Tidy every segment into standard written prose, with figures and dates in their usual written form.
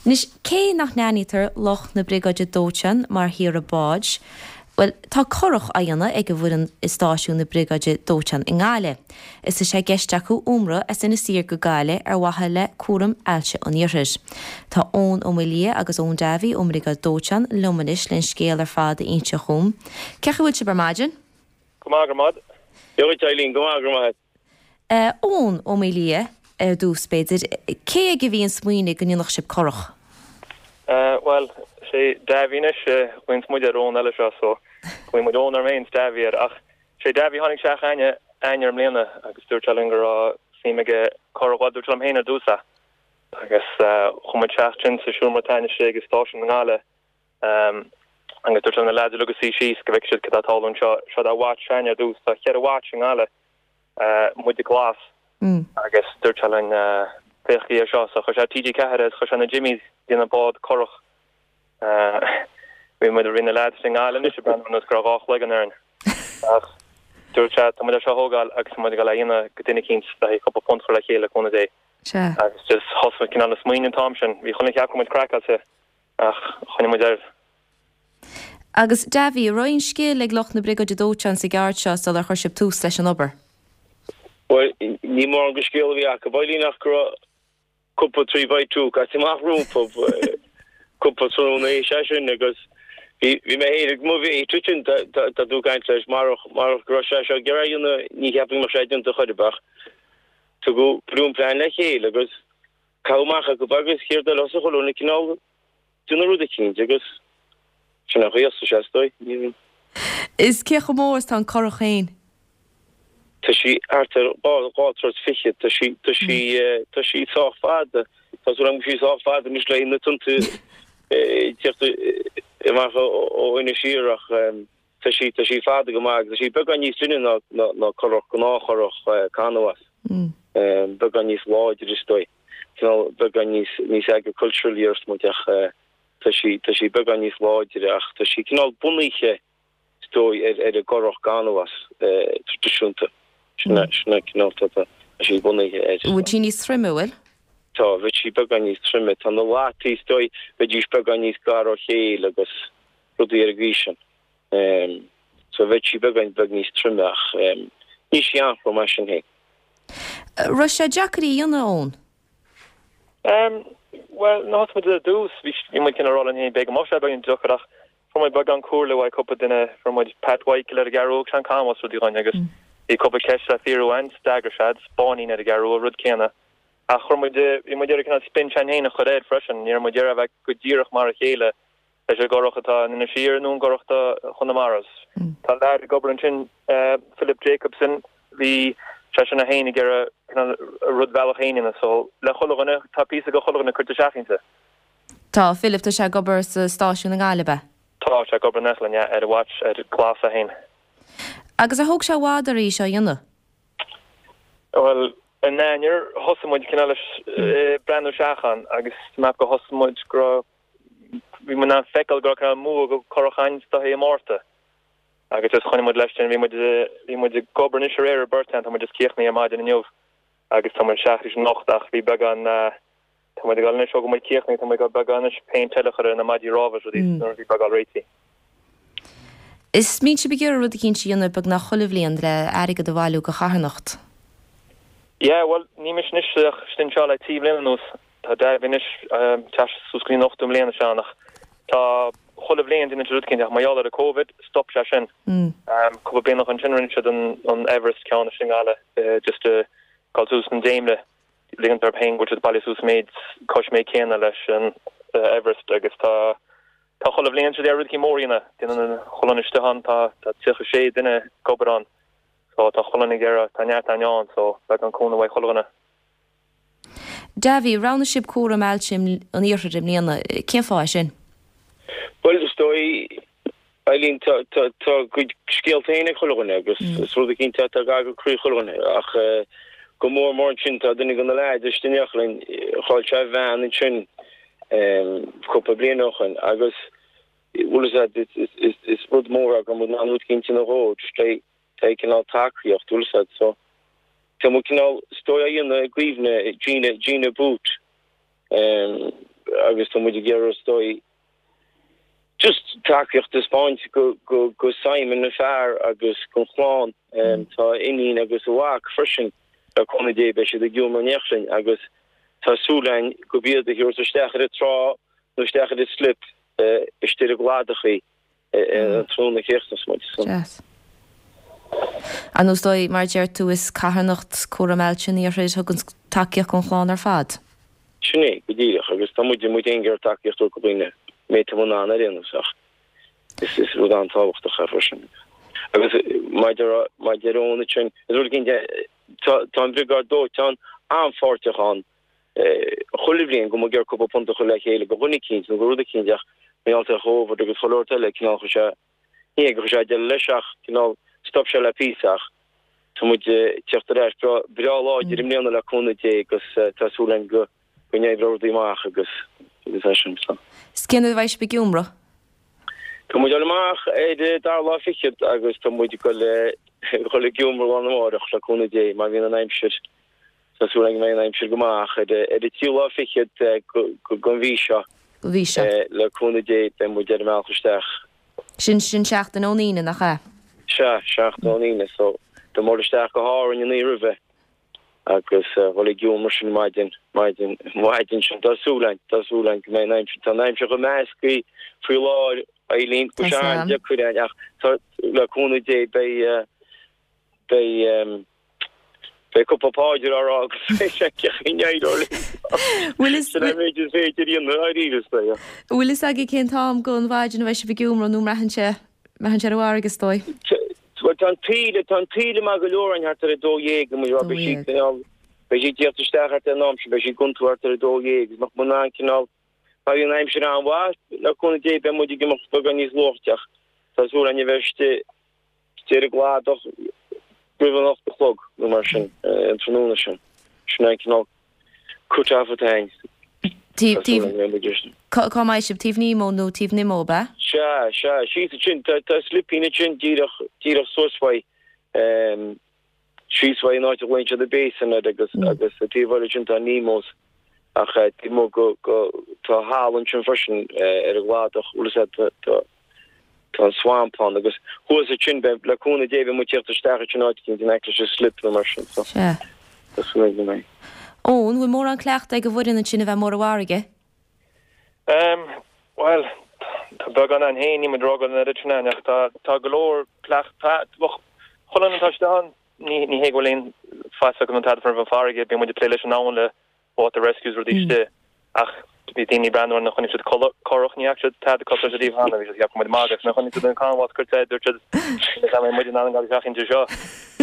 Anois, cé nach n-aithnítear lucht na Briogáide Dóiteáin mar shaoire báid, bhuel, tá curach á dhéanamh ag an bhfoireann i stáisiún na Briogáide Dóiteáin i nGaillimh. Is tá sé i gceist acu iomramh as Inis Oírr go Gaillimh ar mhaithe le Cúram Ailse an Iarthair. Tá Eoin Ó Maolaodha agus Eoin Davey ón mBriogáid Dóiteáin liom anois len scéal ar fad a inse dhom. Cén chaoi a bhfuil sibh ar maidin? Go maith, go raibh maith. Dia dhuit, Eileen, go maith, go raibh maith. Eoin Ó Maolaodha, ar dtús, b'fhéidir, cé aige a bhí an smaoineamh go ndéanfadh sibh curach? Bhuel, sé Davy anois, glaonns muid ar Eoin eile seo, so glaonn muid Eoin orm féin 's Davy air, ach sé Davy tháinig isteach chugainne Eanáir i mbliana agus dúirt sé linn go raibh suim aige curach, bhuel dúirt sé liom féin ar dtús é, agus chuaigh muid isteach ansin sa seomra tainne istigh i stáisiún na nGaillimhe Agus dúirt sé leis na leaids uilig a suí síos go bhfeicfidh siad cad tá ag tarlú anseo. Seo é watch s'againne ar dtús. Tá cheithre watch i nGaillimh, muide glas, agus dúirt sé linn féachaigí ar seo. So chuir sé TG4 air agus chuir sé na Jimmies ag déanamh bád curach. Bhí muid, bhí na leaids i nGaillimh anois ag breathnú ar nós go raibh dhá chloigeann orainn. Ach dúirt sé tá muid é seo a thógáil agus tá muid ag dul é a dhéanamh go duine eicínt le haghaidh cúpla punt a chur le chéile le cúnamh Dé. Agus just thosaigh muid cineál ag smaoineamh an t-am sin. Bhí chuile dhuine ag ceapadh go raibh muid craiceáilte. Ach choinnigh muid air. Agus Davy, an raibh aon scil ag lucht na Briogáide Dóiteáin sa gceard seo sular chuir sibh tús leis an obair? Bhuel, ní mórán de scil a bhí acu, Eileen, ach go raibh cúpla 3 by 2 caite amach rompu, cúpla tráthnóna is é sin, agus bhí bhí mé féin ag mo mhéit ansin, tá tú ag caint leis, marach marach go raibh sé seo ag iarraidh a dhéanamh, ní cheapfainn go mbeadh sé déanta chor ar bith ach tugadh plean plean le chéile agus Caitheadh amach acu agus céard eile thosaigh chuile dhuine cineál déanamh rud eicínt agus sin an chaoi a thosaigh sé is dóigh. Ní. Is cé chomh mór is tá an curach féin? Tá sí thart ar dhá, dhá troigh fichead, tá sí, tá sí, tá sí sách fada, tá súil agam go bhfuil sí sách fada anois le na tonnta ag tíocht amach ó Inis Oírr ach Tá sí, tá sí fada go maith agus tá sí beagán níos doimhne ná, ná, ná curach, gnáthchurach canbhás. Beagán níos láidre is dóigh. Cineál beagán níos, níos agricultural a déarfas muid ach tá sí, tá sí beagán níos láidre ach tá sí cineál bunaithe is dóigh ar, ar an gcurach canbhás traidisiúnta. Sin é, sin é cineál tá, tá sí bunaithe air. Bhfuil sí níos troime, bhfuil? Tá, bheadh sí beagán níos troime. Tá na lataí is dóigh, bheidís beagán níos gar ó chéile agus rudaí ar an gcaoi sin. So bheadh sí beagán beag níos troime ach níl sí an-throm mar sin féin. Raibh sé deacair í a dhéanamh, Eoin? Bhuel, nuair a thosaigh muid ar dtús, bhí bhí muid cineál ag rá linn féin b'fhéidir go mbeadh sé beagán deacair ach fuair muid beagán comhairle uaidh cúpla duine, fuair muid Pat Mhichael ar an gCeathrú Rua, thug sé an canbhás rudaí dhúinn agus bhí cúpla ceist le fiafraí uainn, d'fhreagair sé, Spáinnín ar an gCeathrú Rua, rud céanna. Ach chuir muid, bhí muid ag iarraidh cineál spin s'againn féin a chur air freisin, ní raibh muid ag iarraidh a bheith go díreach mar a chéile leis an gcurach atá in Inis Oírr nó an gcurach do Chonamara. Tá leaid ag obair ansin, Philip Jacobson, bhí seisean é féin ag iarraidh cineál a rud bhealach féin a dhéanamh so le chuile dhuine, tá píosa de chuile dhuine curtha isteach inti. Tá, Philip, tá sé ag obair sa stáisiún i nGaillimh, ab ea? Tá sé ag obair in éineacht linn, yeah, ar an watch, ar glas é féin. Agus ar thóg sé i bhfad oraibh í seo a dhéanamh? Bhuel, in Eanáir thosaigh muid cineál leis breathnú isteach ann agus meap go thosaigh muid go raibh bhí muid in ann feiceáil go raibh cineál modh go curach againn is dóiche i Márta. Agus just choinnigh muid leis sin, bhí muid, bhí muid ag obair anois aréir ar beirt ann, tá muid just críochnaithe ar maidin inniu agus tá muid isteach arís anocht ach bhí beagán, tá muid ag dul anois ó go muid críochnaithe, tá muid ag dul beagán anois péint eile a chur ar na maidí rámha is rudaí nuair a bhí beagán réitithe. Is mbíonn sibh ag iarraidh rud eicínt a dhéanamh beagnach chuile bhliain le airgead a bhailiú do charthanacht. Yeah, bhuel, níl mise anois ach istigh anseo le trí bhliana anuas. Tá Davy anois ag teacht suas go dtí an ochtú mbliain is ea ach tá chuile bhliain déanann siad rud eicínt ach mar gheall ar an Covid stop sé sin. Cúpla bliain ó shin rinne siad an Everest ceann istigh i nGaillimh just dul suas an dréimire ligean dóibh féin go bhfuil siad bailithe suas méid cois méid céanna leis an Everest agus tá tá chuile bhliain siad ag iarraidh rud eicínt mór a dhéanamh. Déanann chuile dhuine istigh ann tá tá 36 duine ag obair ann so tá chuile dhuine ag iarraidh tá neart againn ann so beagán cúnamh uaidh chuile dhuine. Davy, roghnaigh sibh cúram ailse an iarthair i mbliana. Cén fáth é sin? Bhuel, is dóigh, Eileen, tá a gcuid scéalta féin ag chuile dhuine agus is rud eicínt atá gar do chroí chuile dhuine ach go mór mór ansin tá duine de na leaids istigh in éineacht linn, chaill sé a bhean ansin cúpla bliain ó shin agus bhfuil fhios a'd, is rud mór é go mbeadh an rud eicínt ina dhó, just le Tá cineál tacaíocht, bhfuil fhios a'd, so tá muid cineál is dóigh á dhéanamh i gcuimhne Gina, Gina Booth. agus tá muid ag iarraidh is dóigh just tacaíocht a thaispeáint go go go Simon an fear agus gon chlann. Tá a iníon agus a mhac freisin le cúnamh Dé beidh siad ag iomramh in éineacht linn agus tá súil againn gurb iad a thabharfas isteach ar an trá nó isteach ar an slip istigh ar an gcladach í an tráthnóna a chríochnas muid. Deas. Ar nós dóigh, mar a deir tú, is carthanacht Cúram Ailse an Iarthair a thugann tacaíocht don chlann ar fad. Sin é, go díreach, agus tá muid, muid féin ag iarraidh tacaíocht a thabhairt do dhaoine, méid atá muid in ann ar aon nós, ach is, is rud an-tábhachtach é freisin. Agus maidir, maidir Eoin ansin, is rud éicint, tá, tá an Bhriogáid Dóiteáin an-pháirteach ann, chuile bhliain go mbeidh ag iarraidh cúpla punt a chur le chéile do dhuine eicínt nó do rud eicínt ach mar gheall ar Chóvid agus chuile shórt eile, cineál chuir sé, ní hé gur chuir sé deireadh leis ach cineál stop sé le píosa ach tá muid ag tíocht ar ais breá, breá láidir i mbliana le cúnamh Dé agus tá súil againn go, go n-oibreoidh rudaí amach agus, agus é sin so. Is cén uair a bheidh sibh ag iomramh? Tá muid ag dul amach ar an dara lá fichead agus tá muid ag dul, ag dul ag iomramh lá arna mháireach le cúnamh Dé má bhíonn an aimsir Tá súil againn go mbeidh an aimsir go maith ach ar an tríú lá fichead den mhí seo, mhí seo. le cúnamh Dé, beidh muid ar an mbealach isteach. Sin, sin seachtain ón Aoine, nach ea? Sea, seachtain ón Aoine. So, tá muid isteach go hÁrainn an oíche roimhe agus dhul ag iomramh sin maidin, maidin, maidin sin. Tá súil againn, tá súil againn go mbeidh an aimsir, tá an aimsir chomh measctha faoi láthair, Eileen, go Tá sé sam. an-deacair ach tá, le cúnamh Dé, beidh, beidh, Beidh cúpla páidir á rá agus beidh sé ag éireoidh linn. Bhfuil fhios Sin an méid is féidir a dhéanamh dáiríre is dóigh. Bhfuil fhios agaibh cén t-am den mhaidin a bheidh sibh ag iomramh nó mbraitheann sé mbraitheann sé ar an bhfarraige is dóigh? Bhuel tá an taoille tá an taoille maith go leor ann thart ar 12 go mbeidh beidh sí cineál beidh sí ag tíocht isteach thart ar an am sin beidh sí ag iontú thart ar 12 agus nach mbeidh an cineál má bhíonn an aimsir an-mhaith le cúnamh Dé beidh muid ag imeacht beagán níos luaithe ach tá súil againn a bheith istigh Istigh ar an gcladach roimh an 8 a chlog nó mar sin an tráthnóna sin. Sin an cineál cut off atá againn. Taobh, taobh, cá mbeidh sibh? Taobh Nemo nó taobh Nimmo, ab ea? Sea, sea, síos ansin. Tá, tá slipín ansin díreach, díreach suas uaidh, síos uaidh an áit a ghlaonn siad an Basin air agus, agus sa taobh eile sin tá Nemo's. Ach taobh amuigh go, go, tá halla ansin freisin ar an gcladach, bhfuil fhios a'd, tá, tá, Tá an swamp ann agus thuas ansin beidh, le cúnamh Dé, beidh muid ag tíocht isteach ansin áit eicínt in aice leis an slip nó mar sin so Sea. tá súil agam go mbeidh. Eoin, bhfuil mórán cleachta ag an bhfoireann ansin a bheith amuigh ar an bhfarraige? Em, bhuel, tá beagán ann féin, níl muid ag rá go bhfuil an oiread sin ann ach tá, tá go leor cleachta, bhuel, chuile dhuine atá istigh ann, ní, ní hé go bhfuil aon fhios acu nó tada faoin bhfarraige, bíonn muid ag plé leis an abhainn le water rescues rudaí istigh ach bhí daoine ag breathnú orainn chonaic siad curach ní fhaca siad tada cosúil leis riamh cheana bhí siad ag ceapadh go raibh muid ag magadh nuair a chonaic siad an canbhás curtha air dúirt siad ní raibh muid in ann dul isteach inti seo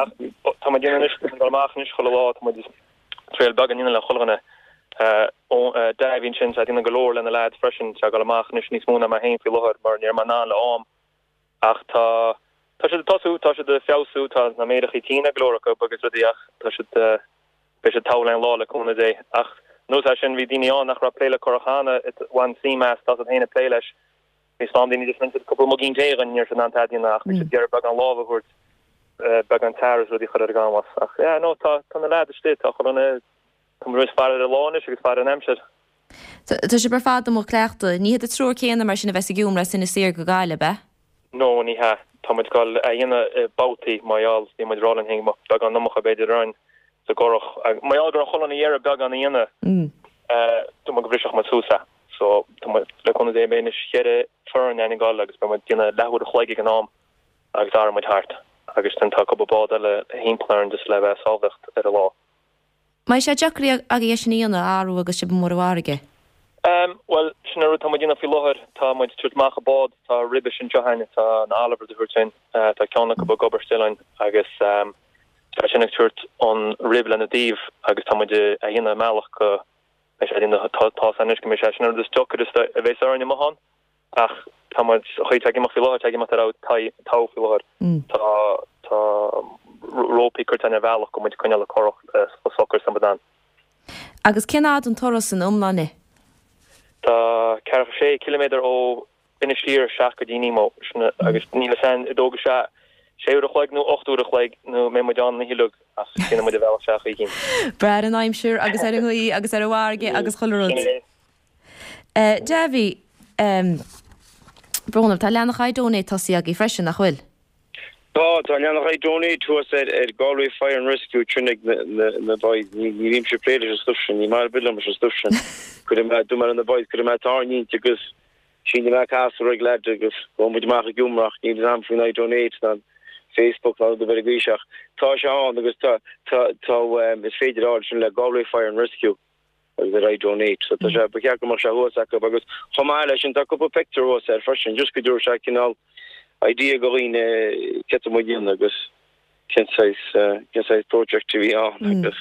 ach tá muid anois ag dul amach anois chuile lá tá muid triail beag a dhéanamh le chuile dhuine Davy ansin tá déanamh go leor lena leaids freisin tá ag dul amach anois níos mó ná mé féin faoi láthair mar ní raibh mé in ann le am ach tá tá siad ag tosú tá siad ag feabhsú tá na méarachaí tinn ag go leor acu agus rudaí ach tá siad Beidh siad togha le an lá le cúnamh Dé. Ach anuas air sin bhí daoine ann nach raibh ag plé le curach cheana, bhain suim as, tá siad féin ag plé leis. Bhí slám daoine just rinne siad cúpla muigín tae dhúinn, ní raibh siad in ann tada a dhéanamh ach bhí siad ag iarraidh beagán lámh a thabhairt, beagán tar is rudaí a chur ar an gcanbhás. Ach yeah, no, tá, tá na leaids istigh, tá chuile dhuine, tá muid ag faire ar an lá anois agus faire ar an aimsir. Tá sibh ar fad amuigh ag cleachtadh. Ní hiad an triúr céanna mar sin a bheas ag iomramh as Inis Oírr go Gaillimh, ab ea? No, ní hea. Tá muid ag dul a dhéanamh i babhtaí mar gheall, bhí muid ag rá linn féin go mbeadh beagán iomarca b'fhéidir orainn sa gcurach. Mar gheall go raibh chuile dhuine ag iarraidh beagán a dhéanamh, dúirt muid go mbrisfeadh muid suas é. So, tá muid, le cúnamh Dé, beidh anois cheithre foireann againn ag dul agus beidh muid ag déanamh leathuair a chloig ag an am agus athróidh muid thart. Agus then tá cúpla bád eile thimpeall orainn just le bheith sábháilte ar an lá. Mbeidh sé deacair agaibh é sin a dhéanamh, a athrú agus sibh amuigh ar an bhfarraige? Em, bhuel, sin an rud atá muid a dhéanamh faoi láthair. Tá muid ag tabhairt amach an bád, tá ribis anseo againn, tá an Oliver a thabhairt linn, tá ceann acu ag obair still ann agus tá sin ag tabhairt an rib lena dtaobh agus tá muid a dhéanamh i mbealach go mbeidh sé a dhéanamh, tá tá anois go mbeidh sé, sin an rud is deacair is a bheas orainn amuigh ann ach tá muid, an chaoi atá ag imeacht faoi láthair, tá ag imeacht ar aghaidh togha faoi láthair. Tá, tá rópaí curtha againn ar bhealach go muid ag coinneáil an curach chomh socair is atá muid in ann. Agus cén fhad an turas ina iomláine? Tá ceathracha sé ciliméadar ó Inis Oírr isteach go dtí Nemo, sin agus níl fhios a'inn an dtógfaidh sé sé uair a chloig nó 8 uair a chloig nó mbeidh muid ann an oíche uilig ach déanfaidh muid an bhealach isteach oíche. Brath ar an aimsir agus ar an ngaoth agus ar an bhfarraige agus chuile rud. Sin é. Davy, brón orm, tá leathanach iDonate tosaithe agaibh freisin, nach bhfuil? Tá, tá leathanach iDonate thuas ar ar Galway Fire and Rescue sin ag na na na boys. Ní ní bhímse ag plé leis an stuif sin, ní maith ar bith liom leis an stuif sin. Cuirfidh mé dúirt mé le na boys, cuirfidh mé tairngint agus sínfidh mé casúr ag leaid agus gabhfaidh muid amach ag iomrach, níl fhios a'm faoin iDonate ná an Facebook ná rud ar bith ar an gcaoi seo ach tá sé ann agus tá tá tá is féidir a fháil sin le Galway Fire and Rescue. agus ar iDonate. So tá sé, ba cheart go mbeadh sé thuas acu agus chomh maith leis sin tá cúpla pictiúr thuas air freisin just go dtabharfaidh sé cineál idea go dhaoine céard atá muid a dhéanamh agus cén saghas, cén saghas project a bhí ann agus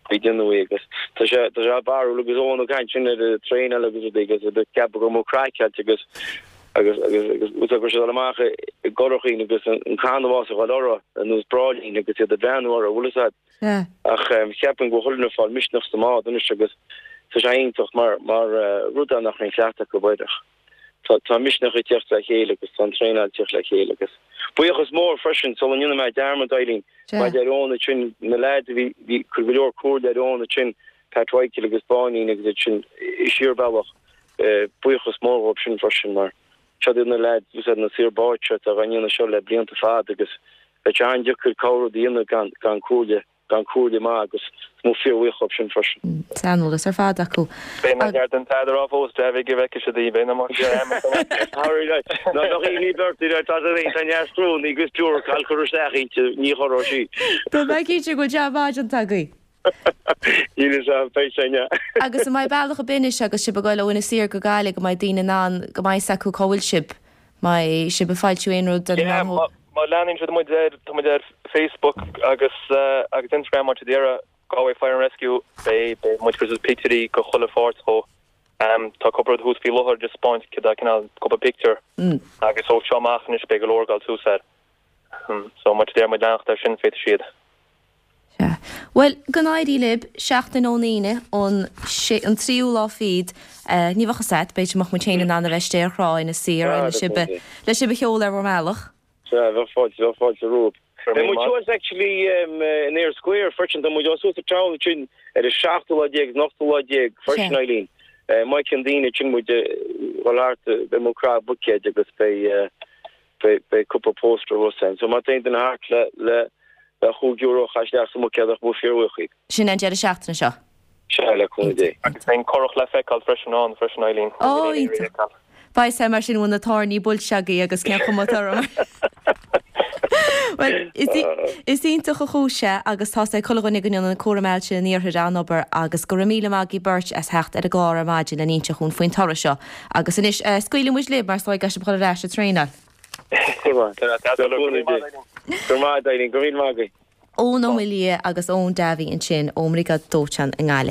faoi déanamh í agus tá sé, tá sé barrúil agus Eoin ag caint sin ar an traenáil agus rudaí agus ag ceapadh go raibh craiceáilte agus agus agus agus go raibh siad amach i gcurachaín agus an canbhás ag dul orthu ar nós bráillín agus iad ag breathnú orthu, bhfuil fhios a'd. Sea. Ach cheapfainn go bhfuil chuile dhuine ag fáil misneach sa mbád anois agus tá sé iontach mar mar rud é nach raibh aon chleachtadh acu air ach tá tá misneach ag teacht le chéile agus tá an traenáil ag teacht le chéile agus buíochas mór freisin sula ndéanfaidh mé dearmad Eileen Sea. maidir le Eoin ansin na leaids a bhí bhí chuir go leor comhairle ar Eoin ansin Pat Mhichael agus Báinín agus iad sin i siar bealach buíochas mór dhóibh sin freisin mar Siod iad na leaids úsáid na saor báid seo atá á ndéanamh seo le blianta fada agus bheadh sé an-deacair corr-rud a dhéanamh gan gan comhairle gan comhairle maith agus tá mé fíorbhuíoch dhóibh sin freisin. Saineolas ar fad acu. Beidh mé gar don tsead a rá fós, Davy, go bhfeicfidh siad í, beidh na mac Ná bheadh í ní beirt í tá sé tá neart scrúnnaí agus biúracáil cur isteach inti, ní chorróidh sí. Tá mé cinnte go bhfuil jab maith déanta agaibh. Níl fhios a'm, beidh sé inniu. Agus an mbeidh bealach ar bith anois agus sibh ag dul ó Inis Oírr go Gaillimh go mbeidh daoine in ann, go mbeidh fhios acu cá bhfuil sibh? Mbeidh sibh ag foilsiú aon rud ar na Yeah, meáin? má leanann siad muid ar, tá muid ar Facebook agus agus Instagram má tá siad ag iarraidh Galway Fire and Rescue, beidh, beidh muid ag cur suas pictiúirí go chuile pháirt dhó. Tá cúpla rud thuas faoi láthair just spáint cad é cineál cúpla pictiúr agus ó seo amach anois beidh go leor ag dul suas air. So má tá siad ag iarraidh muid leanacht air sin féadfaidh siad. Sea. Bhuel, go n-éirí libh, seachtain ón Aoine, an sé, an tríú lá fichead, ní bheadh fhios a't, b'fhéidir go mbeadh muid féin in ann a bheith istigh ar thrá Inis Oírr le sibh a, le sibh a sheoladh ar bhur mbealach. Sea, bheadh fáilte, bheadh fáilte romhaibh. Beidh muid thuas actually in Eyre Square freisin, tá muid thuas sa town ansin ar an seachtú lá déag, an ochtú lá déag freisin, Eileen. Má fheiceann daoine ansin muid ag dul thart, beidh muid ag croitheadh buicéid agus beidh, Beidh cúpla póstaer thuas ann. So má tá aon duine thart le le le chúig euro a chaitheamh isteach sa mbuicéad bheadh muid fíorbhuíoch. Sin an deireadh seachtaine seo. Sea, le cúnamh Dé. Agus beidh an curach le feiceáil freisin ann freisin, Eileen. Ó, iontach. Beidh sé mar sin bhfuil na tairní buailte agaibh agus cén chuma atá orm. Bhuel, is iontach an chúis é agus tá's ag chuile dhuine go ndéanann Cúram Ailse an Iarthair an-obair agus go raibh míle maith agaibh beirt as theacht ar an gclár ar maidin le n-inse dhúinn faoin toradh seo. Agus anois, scaoilfidh muid libh mar is dóigh go gcaithfidh sibh dhul ar ais ag traenáil. Go raibh maith, Eileen. Go raibh míle maith agaibh. Eoin Ó Maolaodha agus Eoin Davy ansin ón mBriogáid Dóiteáin i nGaillimh.